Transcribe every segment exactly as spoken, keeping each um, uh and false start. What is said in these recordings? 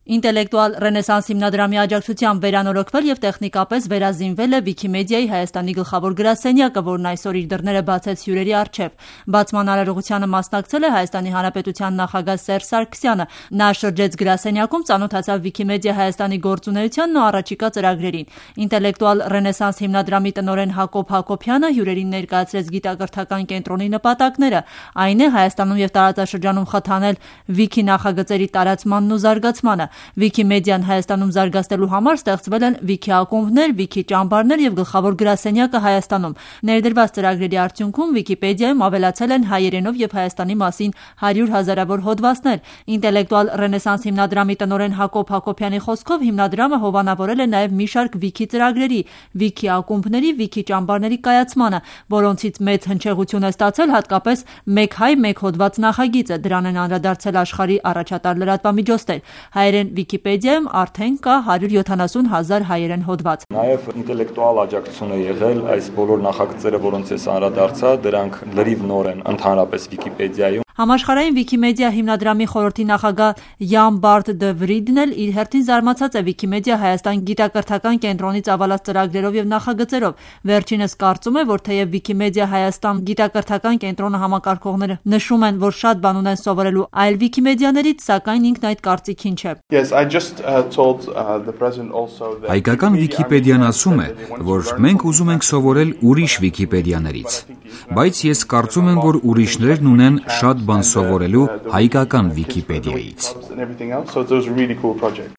Ինտելեկտուալ ռենեսանս հիմնադրամի աջակցությամբ վերանորոգվել և տեխնիկապես վերազինվել է Վիկիմեդիայի Հայաստանի գլխավոր գրասենյակը, որն այսօր իր դռները բացեց հյուրերի առջև։ Բացման արարողությանը մասնակցել է Հայաստանի Հանրապետության նախագահ Սերժ Սարգսյանը։ Նա շրջեց գրասենյակում, ծանոթացավ Վիկիմեդիա Հայաստանի գործունեությանն ու առաջիկա ծրագրերին։ Ինտելեկտուալ ռենեսանս հիմնադրամի տնօրեն Հակոբ Հակոբյանը հյուրերին ներկայացրեց գիտակրթական կենտրոնի նպատակները, այն է Հայաստանում և տարածաշրջանում խթանել Վիքի նախագծերի տարածմանն ու զարգացմանը։ Վիկիմեդիան Հայաստանում զարգացնելու համար ստեղծվել են Վիքի ակումբներ, Վիքի ճամբարներ և գլխավոր գրասենյակը Հայաստանում։ Ներդրված ծրագրերի արդյունքում Վիկիպեդիայում ավելացել են հայերենով և Հայաստանի մասին հարյուր հազարավոր հոդվածներ։ Ինտելեկտուալ ռենեսանս հիմնադրամի տնօրեն Հակոբ Հակոբյանի խոսքով հիմնադրամը հովանավորել է նաև մի շարք Վիքի ծրագրերի, Վիքի ակումբների, Վիքի ճամբարների կայացմանը, որոնցից մեծ հնչեղություն է ստացել հատկապես «Մեկ հայ, մեկ հոդված» նախագիծը։ Դրան են անդրադարձել աշխարհի առաջատար լրատվամիջոցներ։ Հայերեն Վիկիպեդիայում արդեն կա հարյուր յոթանասուն հազար հայերեն հոդված։ Նաև ինտելեկտուալ աջակցություն է եղել այս բոլոր նախագծերը, որոնց ես անդրադարձա, դրանք լրիվ նոր են ընդհանրապես Վիկիպեդիայում։ Համաշխարհային Վիկիմեդիա հիմնադրամի խորհրդի նախագահ Յան Բարդ դը Վրիդն էլ իր հերթին զարմացած է Վիկիմեդիա Հայաստան գիտակրթական կենտրոնից ավալած ծրագրերով և նախագծերով։ Վերջինս կարծում է, որ թեև Վիկիմեդիա Հայաստան գիտակրթական կենտրոնը համակարգողները նշում են, որ շատ բան ունեն սովորելու այլ Վիկիմեդիաներից, սակայն ինքն այդ կարծիքին չէ։ Հայկական Վիկիպեդիան ասում է, որ մենք ուզում ենք սովորել ուրիշ Վիկիպեդիաներից, բայց ես կարծում եմ, որ ուրիշներն ունեն շատ բան սովորելու հայկական Վիկիպեդիայից։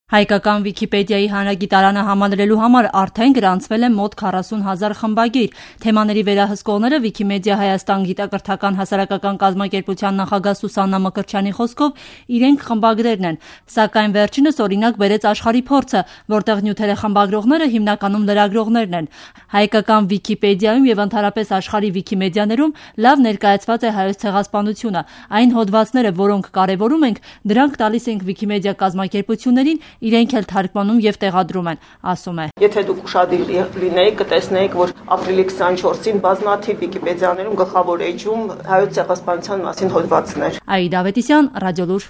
Հայկական Վիկիպեդիայի հանրագիտարանը համալրելու համար արդեն գրանցվել է մոտ քառասուն հազար խմբագիր։ Թեմաների վերահսկողները Վիկիմեդիա Հայաստան գիտակրթական հասարակական կազմակերպության նախագահ Սուսաննա Մկրտչյանի խոսքով իրենք խմբագրերն են, սակայն վերջինս օրինակ բերեց աշխարհի փորձը, որտեղ նյութերը խմբագրողները հիմնականում լրագրողներն են։ Հայկական Վիկիպեդիայում և ընդհանրապես աշխարհի Վիկիմեդիաներում լավ ներկայացված է հայոց ցեղասպանությունը։ Այն հոդվածները, որոնք կարևորում ենք, դրանք տալիս ենք Վիկիմեդիա կազմակերպություններին, իրենք էլ թարգմանում և տեղադրում են, ասում է։ Եթե դուք ուշադիր լինեիք, կտեսնեիք, որ ապրիլի քսանչորսին բազմաթիվ Վիկիպեդիաներում գլխավոր էջում հայոց ցեղասպանության մասին հոդվածներ։ Աիդա Ավետիսյան, Ռադիոլուր։